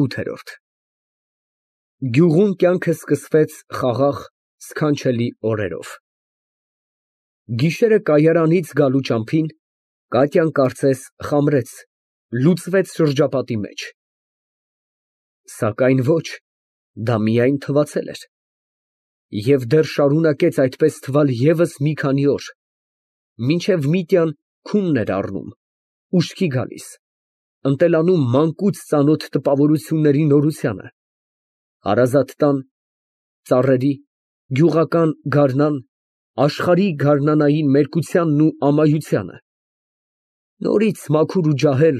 ՈՒԹԵՐՈՐԴ Գյուղում կյանքը սկսվեց խաղաղ, սքանչելի օրերով։ Գիշերը կայարանից գալու ճամփին Կատյան կարծես խամրեց, լուծվեց շրջապատի մեջ։ Սակայն ոչ, դա միայն թվացել էր։ Եվ դեռ շարունակեց այդպես թվալ ևս մի քանի օր, մինչև Միտյան քունն էր առնում, ուշքի գալիս, ընտելանում մանկուց ծանոթ տպավորությունների նորությանը, հարազատ տան, ծառերի, գյուղական գարնան, աշխարհի գարնանային մերկությանն ու ամայությանը, նորից մաքուր ու ջահել,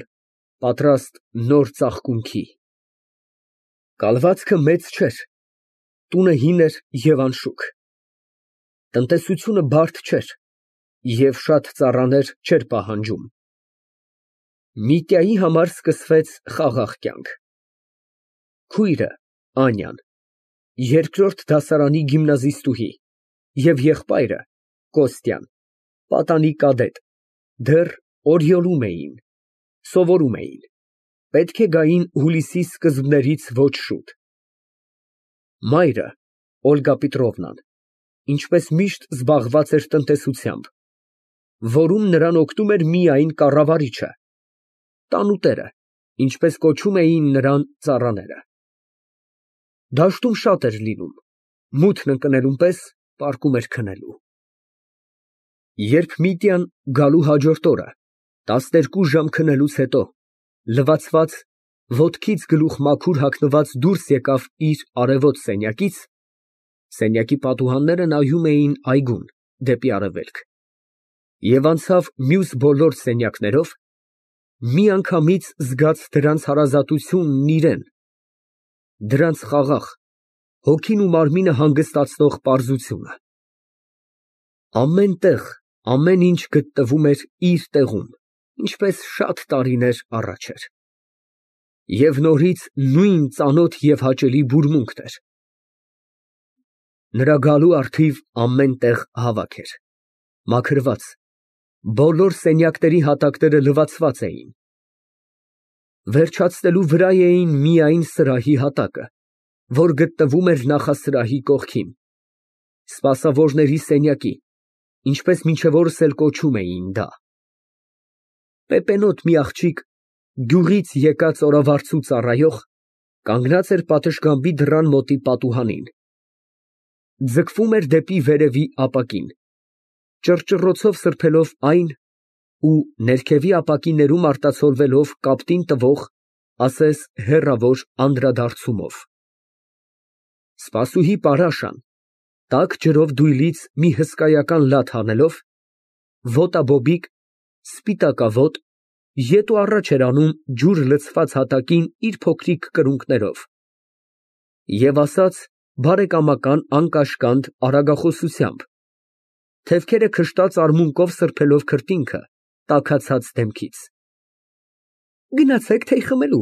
պատրաստ նոր ծաղկունքի։ Կալվածքը մեծ չէր, տունը հին էր և անշուք, տնտեսությունը բարդ չէր և շատ ծառաներ չէր պահանջում։ Միտյայի համար սկսվեց խաղաղ կյանք։ Քույրը Անյան, երկրորդ դասարանի գիմնազիստուհի, և եղբայրը Կոստյան, պատանի կադետ, դեռ Օրիոլում էին, սովորում էին, պետք է գային հուլիսի սկզբներից ոչ շուտ։ Մայրը Օլգա Պետրովնան ինչպես միշտ զբաղված էր տնտեսությամբ, որում նրան օգնում էր միայն կառավարիչը, տանուտերը, ինչպես կոչում էին նրան ծառաները։ Դաշտում շատ էր լինում, մութն ընկնելուն պես պառկում էր քնելու։ Երբ Միտյան գալու հաջորդ օրը, 12 ժամ քնելուց հետո, լվացված, ոտքից գլուխ մաքուր հագնված դուրս եկավ իր արևոտ սենյակից, սենյակի պատուհանները նայում էին այգուն, դեպի արևելք, և անցավ մյուս բոլոր սենյակներով, միանգամից զգաց դրանց հարազատությունն իրան, դրանց խաղաղ, հոգին ու մարմինը հանգստացնող պարզությունը։ Ամեն տեղ, ամեն ինչ գտնվում էր իր տեղում, ինչպես շատ տարիներ առաջ էր։ Եվ նորից նույն ծանոթ և հաճելի բուրմունքն էր։ Նրա գալու առթիվ ամեն տեղ հավաք էր, մաքրված, բոլոր սենյակների հատակները լվացված էին։ Վերջացնելու վրա էին միայն սրահի հատակը, որ գտնվում էր նախասրահի կողքին, սպասավորների սենյակի, ինչպես մինչև օրս էլ կոչում էին դա։ Պեպենոտ մի աղջիկ, գյուղից եկած օրավարձու ծառայող, կանգնած էր պատշգամբի դռան մոտի պատուհանին, ձգվում էր դեպի վերևի ապակին, ճռճռոցով սրբելով այն ու ներքևի ապակիներում արտացոլվելով կապտին տվող, ասես հեռավոր անդրադարձումով։ Սպասուհի Պարաշան, տաք ջրով դույլից մի հսկայական լաթ հանելով, ոտաբոբիկ, սպիտակավոտ, ետ ու առաջ էր անում ջուր լցված հատակին իր փոքրիկ կրունկներով և ասաց բարեկամական անկաշկանդ արագախոսությամբ, թևքերը քշտած արմունկով սրբելով քրտինքը տաքացած դեմքից։ Գնացեք թեյ խմելու,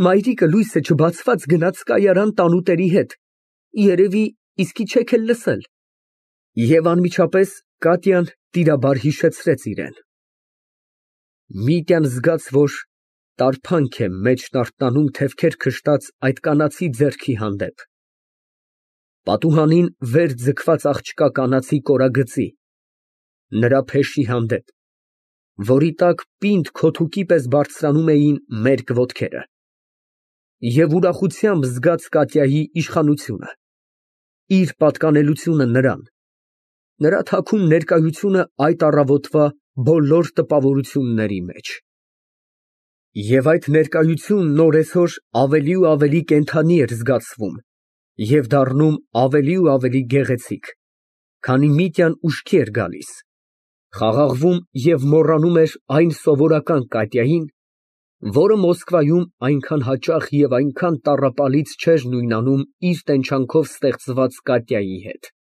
մայրիկը լույսը չբացված գնաց կայարան տանուտերի հետ, երևի իսկի չեք էլ լսել։ Եվ անմիջապես Կատյան տիրաբար հիշեցրեց իրան։ Միտյան զգաց, որ տարփանք է մեջն արթնանում թևքեր քշտած այդ կանացի ձեռքի հանդեպ, պատուհանին վեր ձգված աղջկա կանացի կորագծի, նրա փեշի հանդեպ, որի տակ պինդ քոթուկի պես բարձրանում էին մերկ ոտքերը, և ուրախությամբ զգաց Կատյայի իշխանությունը, իր պատկանելությունը նրան, նրա թաքուն ներկայությունը այդ առավոտվա բոլոր տպավորությունների մեջ։ Եվ այդ ներկայությունն օրեցօր ավելի ու ավելի կենդանի էր զգացվում և դառնում ավելի ու ավելի գեղեցիկ, քանի Միտյան ուշքի էր գալիս, խաղաղվում և մոռանում էր այն սովորական Կատյային, որը Մոսկվայում այնքան հաճախ և այնքան տառապալից չէր նույնանում իր տենչանքով ստեղծված Կատյայի հետ։